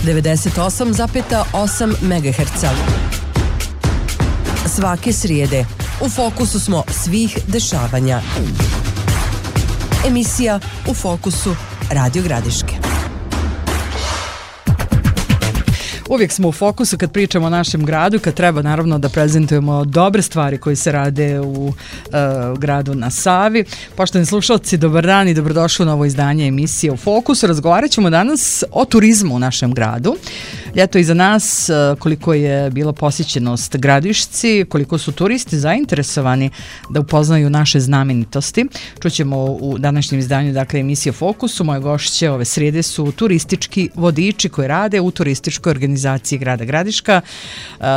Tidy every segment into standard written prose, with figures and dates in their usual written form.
98,8 MHz. Svake srijede u fokusu smo svih dešavanja. Emisija U fokusu Radio Gradiške. Uvijek smo u fokusu kad pričamo o našem gradu, kad treba naravno da prezentujemo dobre stvari koje se rade u gradu na Savi. Poštovani slušalci, dobar dan i dobrodošli u novo izdanje emisije U fokusu. Razgovarat ćemo danas o turizmu u našem gradu. Ljeto iza nas, koliko je bila posjećenost Gradišci, koliko su turisti zainteresovani da upoznaju naše znamenitosti. Čućemo u današnjem izdanju, dakle, emisije Fokusu. Moje gošće ove srijede su turistički vodiči koji rade u turističkoj organizaciji grada Gradiška.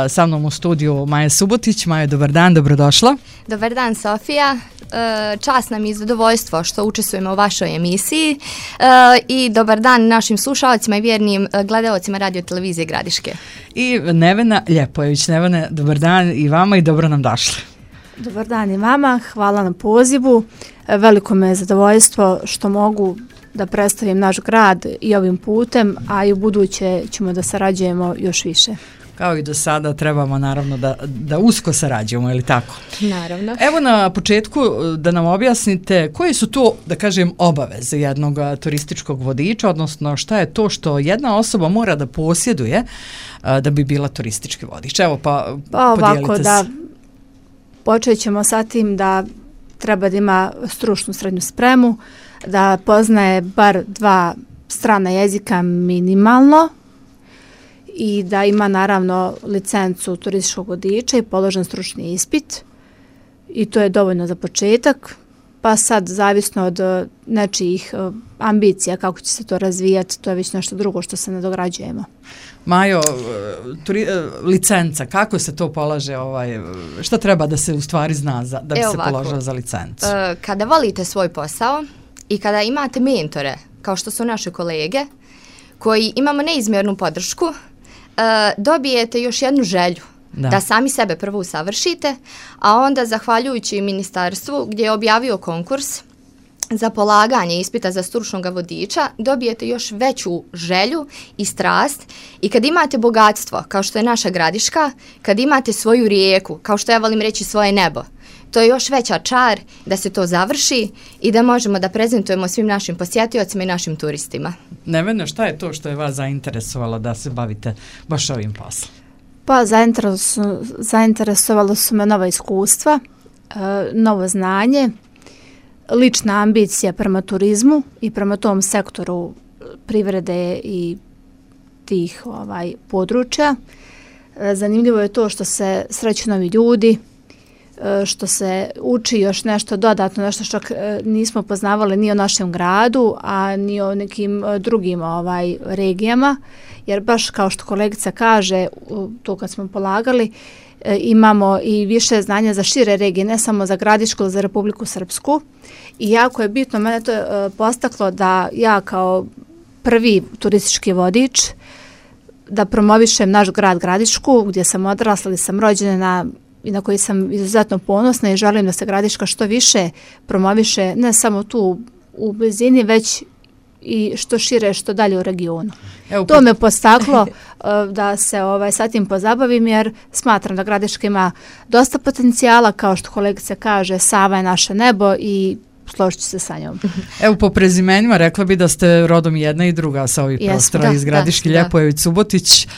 Sa mnom u studiju Maja Subotić. Maja, dobar dan, dobrodošla. Dobar dan, Sofija. Čast nam i zadovoljstvo što učestvujemo u vašoj emisiji i dobar dan našim slušalcima i vjernim gledaocima radio televizije Gradiške. I Nevena Ljepojević. Nevena, dobar dan i vama i dobro nam došli. Dobar dan i vama, hvala na pozivu. Veliko me je zadovoljstvo što mogu da predstavim naš grad i ovim putem, a i u buduće ćemo da sarađujemo još više. Kao i do sada trebamo naravno da usko sarađujemo, je li tako? Naravno. Evo na početku da nam objasnite koje su to, da kažem, obaveze jednog turističkog vodiča, odnosno šta je to što jedna osoba mora da posjeduje da bi bila turistički vodič. Evo pa podijelite se. Da počet ćemo sa tim da treba da ima stručnu srednju spremu, da poznaje bar 2 strana jezika minimalno i da ima naravno licencu turističkog vodiča i položen stručni ispit i to je dovoljno za početak, pa sad zavisno od nečijih ambicija kako će se to razvijati, to je već nešto drugo što se nadograđujemo. Majo, licenca, kako se to polaže, šta treba da se u stvari zna da bi se položila za licencu? Kada volite svoj posao i kada imate mentore, kao što su naše kolege, koji imamo neizmjernu podršku, dobijete još jednu želju da sami sebe prvo usavršite, a onda zahvaljujući ministarstvu gdje je objavio konkurs za polaganje ispita za stručnog vodiča, dobijete još veću želju i strast i kad imate bogatstvo, kao što je naša Gradiška, kad imate svoju rijeku, kao što ja volim reći svoje nebo, to je još veća čar da se to završi i da možemo da prezentujemo svim našim posjetiocima i našim turistima. Nevena, šta je to što je vas zainteresovalo da se bavite baš ovim poslom? Pa zainteresovalo su me nova iskustva, novo znanje, lična ambicija prema turizmu i prema tom sektoru privrede i tih područja. Zanimljivo je to što se sreću novi ljudi, što se uči još nešto dodatno, nešto što nismo poznavali ni o našem gradu, a ni o nekim drugim regijama, jer baš kao što kolegica kaže, to kad smo polagali, imamo i više znanja za šire regije, ne samo za Gradišku, za Republiku Srpsku. I jako je bitno, mene to postaklo da ja kao prvi turistički vodič da promovišem naš grad Gradišku, gdje sam odrasla, gdje sam rođena i na koji sam izuzetno ponosna i želim da se Gradiška što više promoviše, ne samo tu u blizini, već i što šire, što dalje u regionu. To me postaklo da se sa tim pozabavim, jer smatram da Gradiška ima dosta potencijala, kao što kolegica kaže, Sava je naše nebo i složit ću se sa njom. Evo, po prezimenima rekla bi da ste rodom jedna i druga sa ovih prostora iz Gradiške, Ljepojević, Subotić.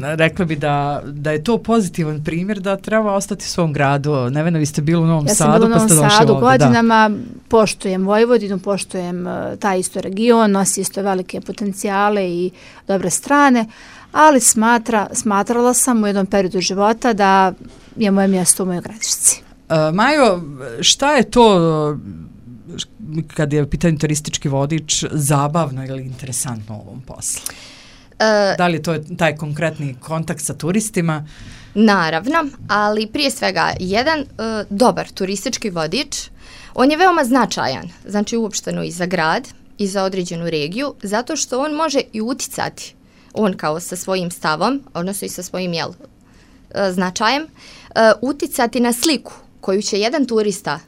Rekla bi da je to pozitivan primjer da treba ostati u svom gradu. Nevena, vi ste bili u Novom Sadu, pa ste došli ovdje. Ja sam bila u Novom Sadu godinama, poštujem Vojvodinu, poštujem taj isto region, nosi isto velike potencijale i dobre strane, ali smatrala sam u jednom periodu života da je moje mjesto u mojoj Gradišci. Majo, šta je to kad je pitanje turistički vodič zabavno ili interesantno u ovom poslu? Da li je to taj konkretni kontakt sa turistima? Naravno, ali prije svega jedan dobar turistički vodič, on je veoma značajan, znači uopšteno i za grad i za određenu regiju, zato što on može i uticati, on kao sa svojim stavom, odnosno i sa svojim značajem, uticati na sliku koju će jedan turista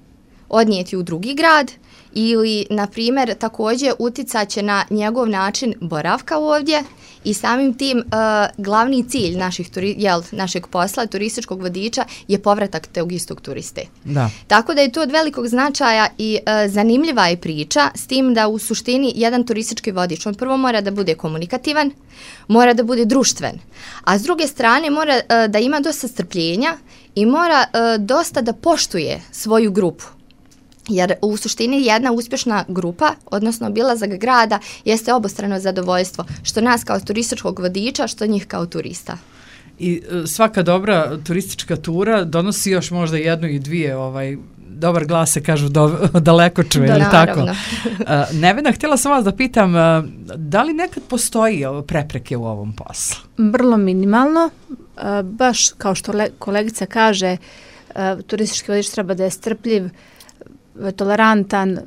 odnijeti u drugi grad ili, na primjer, također uticat će na njegov način boravka ovdje i samim tim glavni cilj našeg posla, turističkog vodiča, je povratak tog istog turiste. Da. Tako da je to od velikog značaja i zanimljiva je priča, s tim da u suštini jedan turistički vodič, on prvo mora da bude komunikativan, mora da bude društven, a s druge strane mora da ima dosta strpljenja i mora dosta da poštuje svoju grupu. Jer u suštini jedna uspješna grupa, odnosno obilazak grada, jeste obostrano zadovoljstvo, što nas kao turističkog vodiča, što njih kao turista. I svaka dobra turistička tura donosi još možda jednu i dvije, dobar glas se kažu daleko čuje, ili tako? Nevena, htjela sam vas da pitam, da li nekad postoji prepreke u ovom poslu? Vrlo minimalno, baš kao što kolegica kaže, turistički vodič treba da je strpljiv, tolerantan,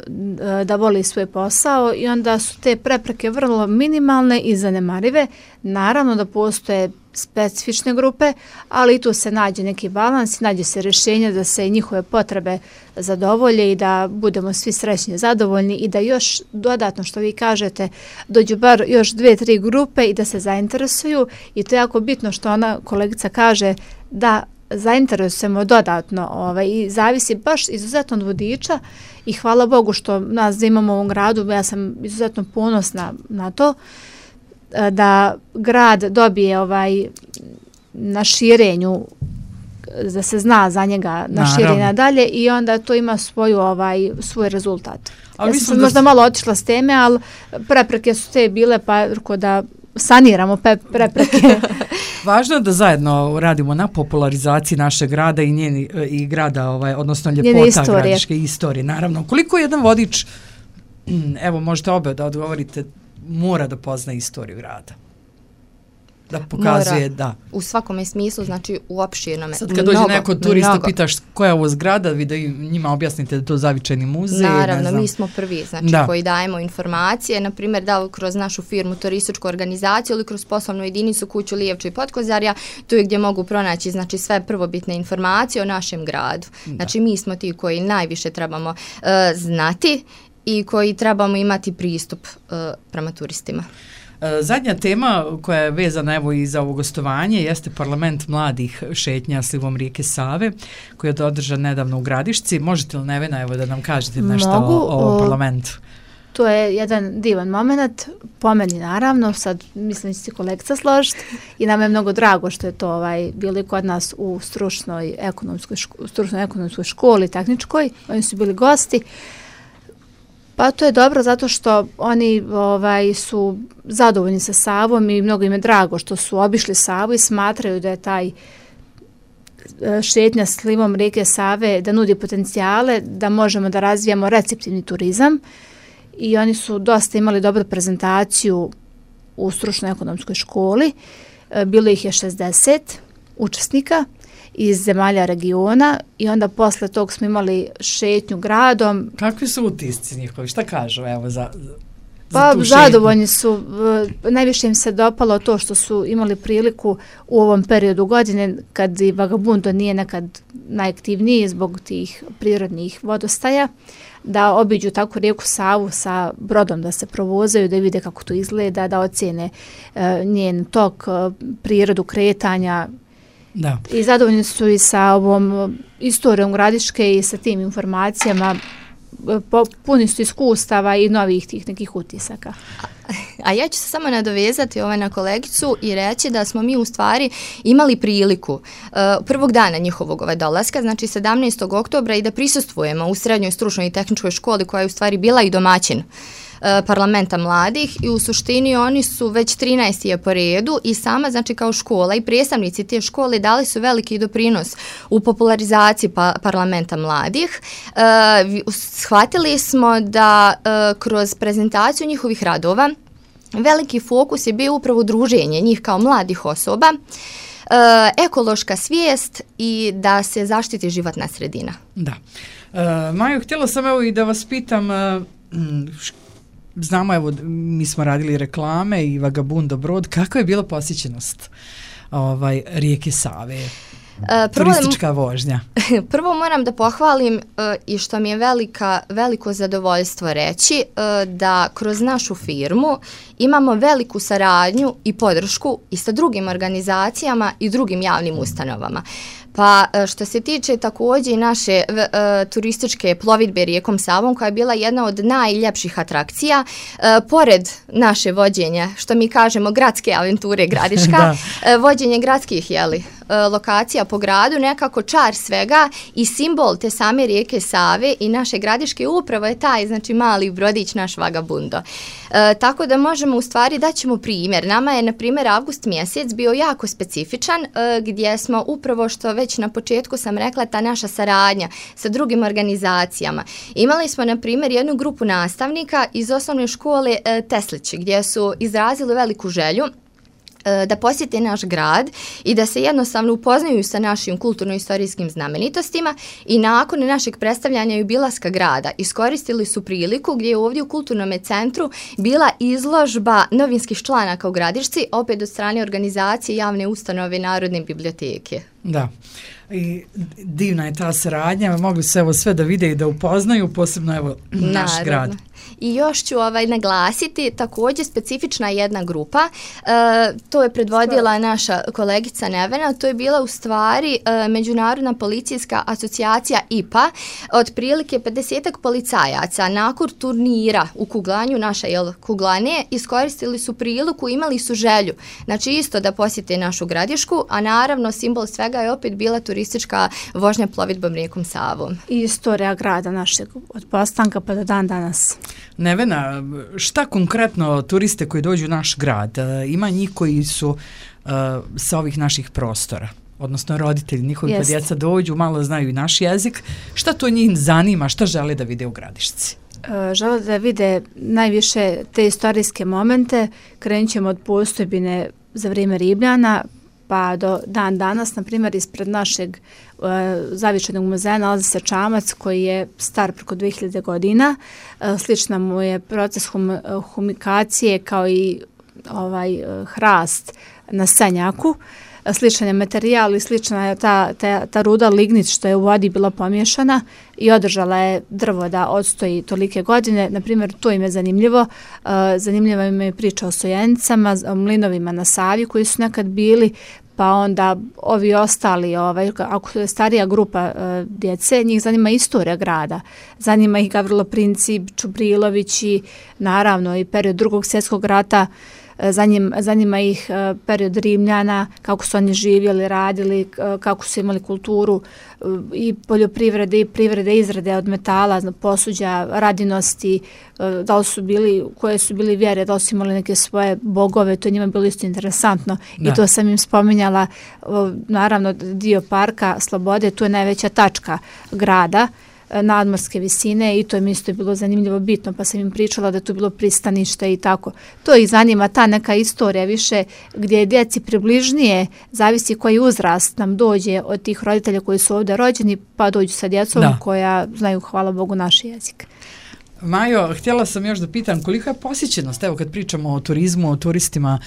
da voli svoj posao i onda su te prepreke vrlo minimalne i zanemarive. Naravno da postoje specifične grupe, ali i tu se nađe neki balans, nađe se rješenje da se njihove potrebe zadovolje i da budemo svi srećni, zadovoljni i da još dodatno, što vi kažete, dođu bar još 2-3 grupe i da se zainteresuju, i to je jako bitno što ona kolegica kaže, da zainteresujemo dodatno i zavisi baš izuzetno od vodiča i hvala Bogu što nas imamo u ovom gradu, ja sam izuzetno ponosna na to da grad dobije na širenju, da se zna za njega na širenja dalje i onda to ima svoj rezultat. Ja sam možda malo otišla s teme, ali prepreke su te bile, pa da saniramo prepreke. Važno je da zajedno radimo na popularizaciji našeg grada i grada, odnosno ljepota gradiške istorije. Naravno, koliko jedan vodič, evo možete obe da odgovorite, mora da pozna istoriju grada? Da pokazuje, da. U svakome smislu, znači u opširnome. Sad kad dođe neko turista, pitaš koja je ovo zgrada, vi da njima objasnite da je to zavičajni muzej. Naravno, mi smo prvi, znači koji dajemo informacije, na primjer da li kroz našu firmu turističku organizaciju ili kroz poslovnu jedinicu Kuću Lijevče i Potkozarja, tu je gdje mogu pronaći znači sve prvobitne informacije o našem gradu. Znači mi smo ti koji najviše trebamo znati i koji trebamo imati pristup prema turistima. Zadnja tema koja je vezana evo i za ovo gostovanje jeste parlament mladih šetnja slivom rijeke Save koji je održan nedavno u Gradišci. Možete li, Nevena, evo da nam kažete nešto o parlamentu? To je jedan divan moment, po meni naravno, sad mislim da će se kolegica složiti i nam je mnogo drago što je to bili kod nas u stručnoj ekonomskoj školi, tehničkoj, oni su bili gosti. Pa to je dobro zato što oni su zadovoljni sa Savom i mnogo im je drago što su obišli Savu i smatraju da je taj šetnja slivom rijeke Save da nudi potencijale, da možemo da razvijamo receptivni turizam i oni su dosta imali dobru prezentaciju u stručnoj ekonomskoj školi. Bilo ih je 60 učesnika iz zemalja regiona i onda posle tog smo imali šetnju gradom. Kakvi su utisci njihovi? Šta kažu evo za zadovoljni su. Najviše im se dopalo to što su imali priliku u ovom periodu godine kad i Vagabundo nije nekad najaktivniji zbog tih prirodnih vodostaja, da obiđu tako rijeku Savu sa brodom, da se provozaju, da vide kako to izgleda, da ocjene njen tok, prirodu kretanja. Da. I zadovoljni su i sa ovom istorijom Gradiške i sa tim informacijama, puni su iskustava i novih tih nekih utisaka. A ja ću se samo nadovezati na kolegicu i reći da smo mi u stvari imali priliku prvog dana njihovog dolaska, znači 17. oktobra i da prisustvujemo u srednjoj stručnoj i tehničkoj školi koja je u stvari bila i domaćin parlamenta mladih i u suštini oni su već 13. po redu i sama znači kao škola i predstavnici te škole dali su veliki doprinos u popularizaciji parlamenta mladih. Shvatili smo da kroz prezentaciju njihovih radova veliki fokus je bio upravo druženje njih kao mladih osoba, ekološka svijest i da se zaštiti životna sredina. Da. Maju, htjela sam evo i da vas pitam, znamo, evo, mi smo radili reklame i Vagabundo brod, kakva je bila posjećenost rijeke Save? Turistička vožnja. Prvo moram da pohvalim i što mi je veliko zadovoljstvo reći da kroz našu firmu imamo veliku saradnju i podršku i sa drugim organizacijama i drugim javnim ustanovama. Pa što se tiče također i naše turističke plovidbe rijekom Savom, koja je bila jedna od najljepših atrakcija, pored naše vođenja, što mi kažemo gradske aventure Gradiška, vođenje gradskih lokacija po gradu, nekako čar svega i simbol te same rijeke Save i naše Gradiške upravo je taj, znači mali brodić, naš Vagabundo. Tako da možemo u stvari daćemo primjer. Nama je, na primjer, avgust mjesec bio jako specifičan, gdje smo upravo, što već na početku sam rekla, ta naša saradnja sa drugim organizacijama. Imali smo, na primjer, jednu grupu nastavnika iz osnovne škole Teslić, gdje su izrazili veliku želju da posjete naš grad i da se jednostavno upoznaju sa našim kulturno-istorijskim znamenitostima i nakon našeg predstavljanja i obilaska grada iskoristili su priliku gdje je ovdje u kulturnom centru bila izložba novinskih članaka u Gradišci, opet od strane organizacije javne ustanove Narodne biblioteke. Da. I divna je ta saradnja, mogli se evo sve da vide i da upoznaju, posebno evo naš grad. I još ću naglasiti, također specifična jedna grupa, to je predvodila naša kolegica Nevena, to je bila u stvari Međunarodna policijska asocijacija IPA, otprilike 50-ak policajaca nakon turnira u kuglanju, naša kuglane, iskoristili su priliku, imali su želju, znači isto da posjete našu Gradišku, a naravno simbol svega je opet bila turistička vožnja plovidbom rijekom Savom. I istorija grada našeg od postanka pa do dan danas. Nevena, šta konkretno turiste koji dođu u naš grad, ima njih koji su sa ovih naših prostora, odnosno roditelji, njihovi pa djeca dođu, malo znaju i naš jezik, šta to njih zanima, šta žele da vide u Gradišci? Žele da vide najviše te istorijske momente, krenut ćemo od postojbine za vrijeme Ribljana, pa do dan danas, na primjer, ispred našeg zavičajnog muzeja nalazi se čamac koji je star preko 2000 godina. Slična mu je proces humikacije kao i hrast na sanjaku. Sličan je materijal i slična je ta ruda lignit što je u vodi bila pomiješana i održala je drvo da odstoji tolike godine. Naprimjer, to im je zanimljivo. Zanimljiva im je priča o Sojenicama, o mlinovima na Savi koji su nekad bili, pa onda ovi ostali, ako je starija grupa djece, njih zanima istorija grada. Zanima ih Gavrilo Princip, Čubrilović i naravno i period Drugog svjetskog rata. Zanima ih period Rimljana, kako su oni živjeli, radili, kako su imali kulturu i poljoprivrede i privrede, izrade od metala, posuđa, radinosti, da li su bili, koje su bili vjere, da li su imali neke svoje bogove, to je njima bilo isto interesantno. Da. I to sam im spominjala, naravno dio parka Slobode, tu je najveća tačka grada, nadmorske visine i to mi isto je bilo zanimljivo bitno, pa sam im pričala da je tu bilo pristanište i tako. To ih zanima, ta neka istorija više gdje je djeci približnije, zavisi koji uzrast nam dođe od tih roditelja koji su ovdje rođeni, pa dođu sa djecom koja znaju, hvala Bogu, naš jezik. Majo, htjela sam još da pitam kolika je posjećenost, evo kad pričamo o turizmu, o turistima,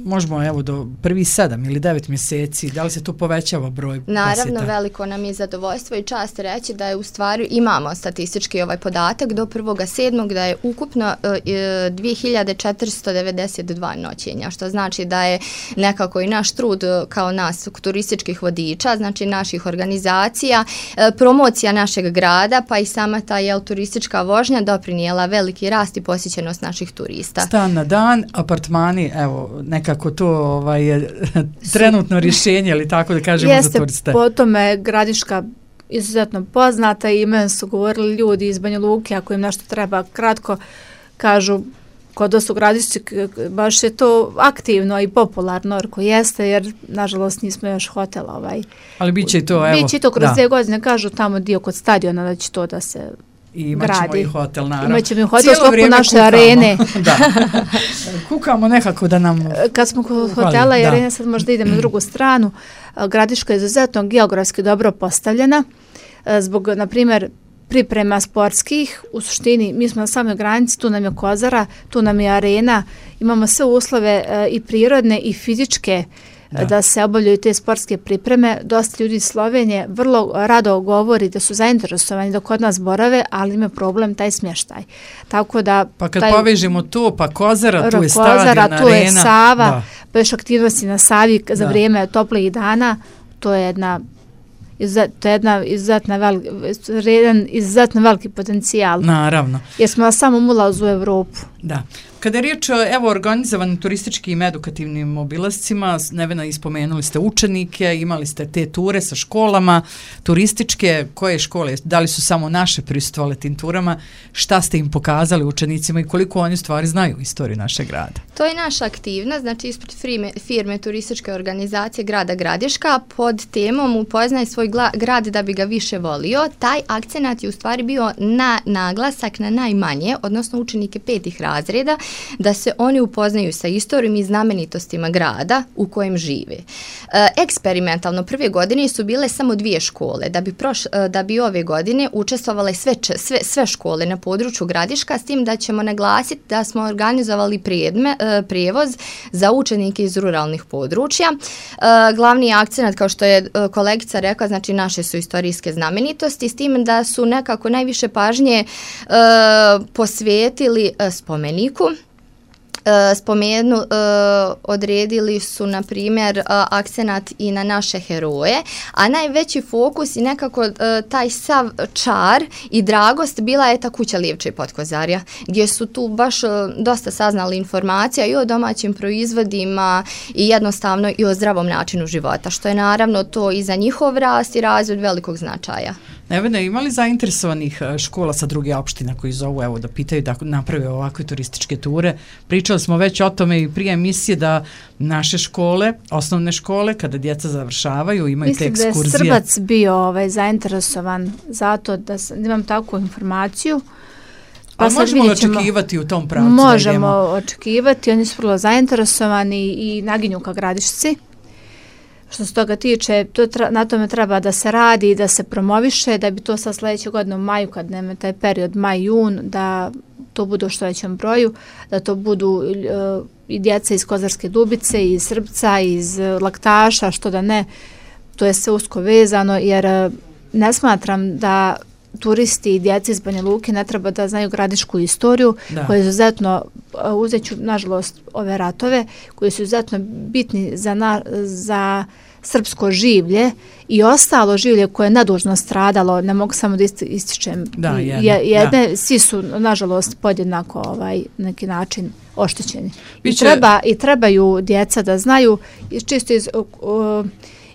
možemo evo do prvih 7 ili 9 mjeseci, da li se to povećava broj posjeta? Naravno, veliko nam je zadovoljstvo i čast reći da je u stvari, imamo statistički podatak do 1.7. da je ukupno 2492 noćenja, što znači da je nekako i naš trud kao nas turističkih vodiča, znači naših organizacija, promocija našeg grada, pa i sama ta turistička vožnja doprinijela veliki rast i posjećenost naših turista. Stan na dan, apartmani, evo, nekako to je trenutno rješenje, ali tako da kažemo za turiste. Po tome Gradiška izuzetno poznata i meni su govorili ljudi iz Banja Luke, ako im nešto treba kratko, kažu kod nas u Gradišci baš je to aktivno i popularno, ako jeste, jer nažalost nismo još hotel ali bit će i to, evo. Bit će to kroz 2 godine, kažu tamo dio kod stadiona da će to da se i imaćemo i hotel, naravno. Imaćemo i hotel u sklopu naše arene. Da. Kukamo nekako da nam kad smo kod hotela i arene, sad možda idemo na drugu stranu. Gradiška je izuzetno geografski dobro postavljena. Zbog, na primjer, priprema sportskih, u suštini mi smo na samoj granici, tu nam je Kozara, tu nam je arena, imamo sve uslove i prirodne i fizičke da se obavljaju te sportske pripreme. Dosta ljudi iz Slovenije vrlo rado govori da su zainteresovani da kod nas borave, ali ima problem taj smještaj. Tako da... Pa kad povežemo to, pa Kozara, tu je stadion, arena. Tu je Sava, pa još aktivnosti na Savi za vrijeme toplih dana, to je jedan izuzetno veliki potencijal. Naravno. Jer smo na samom ulazu u Evropu. Da. Kada je riječ o organizovanim turističkim i edukativnim obilascima, Nevena, ispomenuli ste učenike, imali ste te ture sa školama, turističke, koje škole, da li su samo naše prisustvovale tim turama, šta ste im pokazali učenicima i koliko oni stvari znaju istoriju našeg grada? To je naša aktivnost, znači ispred firme turističke organizacije grada Gradiška pod temom Upoznaj svoj grad da bi ga više volio. Taj akcenat je u stvari bio na naglasak na najmanje, odnosno učenike 5. razreda, da se oni upoznaju sa istorijom i znamenitostima grada u kojem žive. Eksperimentalno prve godine su bile samo 2 škole, da bi ove godine učestvovale sve škole na području Gradiška, s tim da ćemo naglasiti da smo organizovali prijevoz za učenike iz ruralnih područja. Glavni akcenat, kao što je kolegica rekla, znači naše su istorijske znamenitosti, s tim da su nekako najviše pažnje posvetili spomeniku. Odredili su, na primjer, akcenat i na naše heroje, a najveći fokus i nekako taj sav čar i dragost bila je ta kuća Livče i Potkozarja, gdje su tu baš dosta saznali informacija i o domaćim proizvodima i jednostavno i o zdravom načinu života, što je naravno to i za njihov rast i razvoj velikog značaja. Nevena, ima li zainteresovanih škola sa druge opština koji zovu evo da pitaju da naprave ovakve turističke ture? Pričali smo već o tome i prije emisije da naše škole, osnovne škole, kada djeca završavaju, imaju te ekskurzije. Mislim da je Srbac bio zainteresovan zato da imam takvu informaciju. Pa možemo li očekivati u tom pravcu? Možemo očekivati, oni su vrlo zainteresovani i naginju ka Gradišci. Što se toga tiče, na tome treba da se radi i da se promoviše, da bi to sa sljedeće godine u maju, kad nema taj period maj-jun, da to bude u što većem broju, da to budu i djeca iz Kozarske Dubice, iz Srbca, iz Laktaša, što da ne, to je sve usko vezano, jer ne smatram da turisti i djeci iz Banja Luke ne treba da znaju gradišku istoriju, koja je izuzetno, uzet ću nažalost ove ratove, koji su izuzetno bitni za srpsko življe i ostalo življe koje je nedužno stradalo, ne mogu samo da ističem svi su nažalost podjednako neki način oštećeni. I trebaju djeca da znaju čisto iz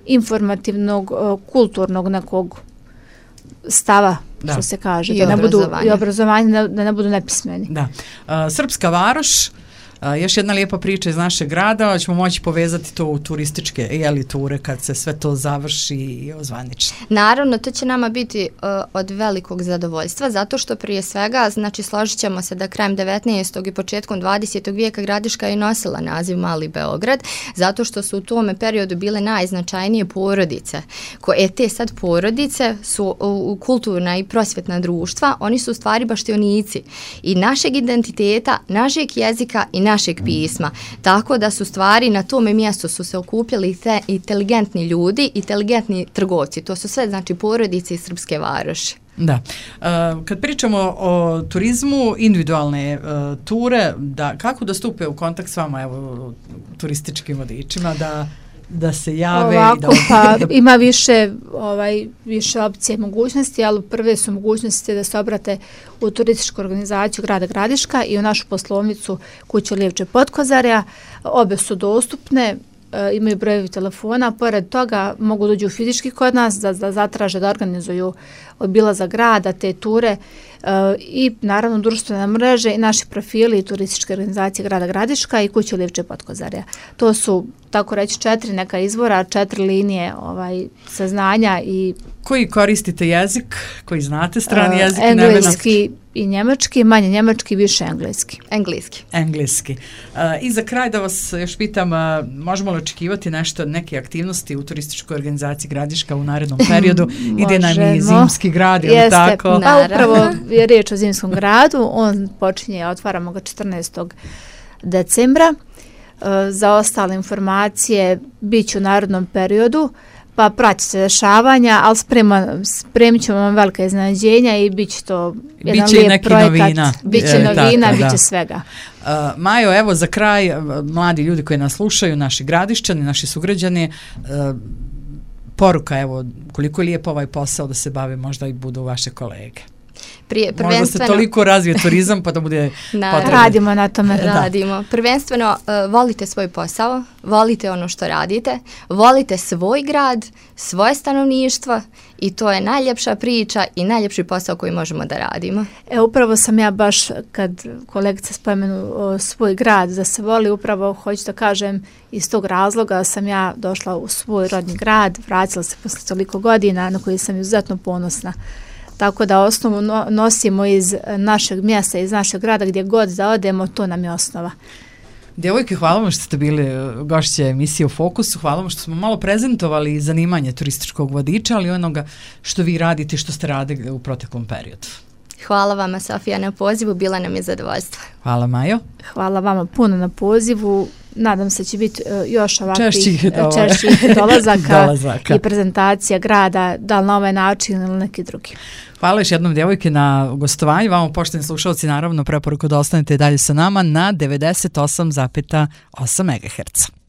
informativnog, kulturnog nekog stava, što se kaže, i obrazovanje, da ne budu nepismeni. Da. Srpska Varoš, još jedna lijepa priča iz našeg grada, ćemo moći povezati to u turističke ture kad se sve to završi i ozvaniči. Naravno, to će nama biti od velikog zadovoljstva, zato što prije svega, znači složit ćemo se da krajem 19. i početkom 20. vijeka Gradiška je nosila naziv Mali Beograd, zato što su u tome periodu bile najznačajnije porodice. Te sad porodice su kulturna i prosvjetna društva, oni su u stvari baštionici i našeg identiteta, našeg jezika i našeg pisma. Tako da su stvari na tome mjestu su se okupljali te inteligentni ljudi, inteligentni trgovci. To su sve znači porodice iz Srpske Varoši. Da. Kad pričamo o turizmu, individualne ture, kako da stupe u kontakt s vama, evo, turističkim vodičima, da se jave? Ima više opcije i mogućnosti, ali prve su mogućnosti da se obrate u turističku organizaciju grada Gradiška i u našu poslovnicu kuća Livče Potkozarja. Obe su dostupne, imaju brojevi telefona, pored toga mogu dođu fizički kod nas da zatraže da organizuju obilazak grada, te ture i naravno društvene mreže i naši profili i turističke organizacije grada Gradiška i kuće Livče Potkozarja. To su, tako reći, 4 neka izvora, 4 linije saznanja. I koji koristite jezik, koji znate strani jezik? Engleski i njemački, manje njemački, više engleski. I za kraj da vas još pitam, možemo li očekivati neke aktivnosti u turističkoj organizaciji Gradiška u narednom periodu? Ide nam i zimski grad, je li tako? Pa upravo je riječ o zimskom gradu, on počinje, otvaramo ga 14. decembra. Za ostale informacije bit ću u narednom periodu, pa pratite dešavanja, ali spremit ćemo vam velika iznenađenja i bit će to jedan lijep projekat. Novina. Biće novina, bit će svega. Majo, evo za kraj, mladi ljudi koji nas slušaju, naši gradišćani, naši sugrađani, poruka, evo, koliko je lijepo ovaj posao da se bave, možda i budu vaše kolege. Možda se toliko razvije turizam pa da bude potrebno. Radimo na tome. Radimo. Prvenstveno volite svoj posao, volite ono što radite, volite svoj grad, svoje stanovništvo i to je najljepša priča i najljepši posao koji možemo da radimo. Upravo sam ja baš, kad kolegica spomenu svoj grad da se voli, upravo hoću da kažem iz tog razloga sam ja došla u svoj rodni grad, vratila se posle toliko godina na koji sam izuzetno ponosna. Tako da osnovu nosimo iz našeg mjesta, iz našeg grada, gdje god da odemo, to nam je osnova. Djevojke, hvala vam što ste bili gošće emisije u Fokusu, hvala vam što smo malo prezentovali zanimanje turističkog vodiča, ali onoga što vi radite i što ste radili u proteklom periodu. Hvala vama, Sofija, na pozivu, bila nam je zadovoljstvo. Hvala, Majo. Hvala vama puno na pozivu. Nadam se će biti još ovakvih češćih dolazaka i prezentacija grada, da li na ovaj način ili neki drugi. Hvala još jednom, djevojke, na gostovanju. Vama, poštovani slušalci, naravno preporuku da ostanete dalje sa nama na 98,8 MHz.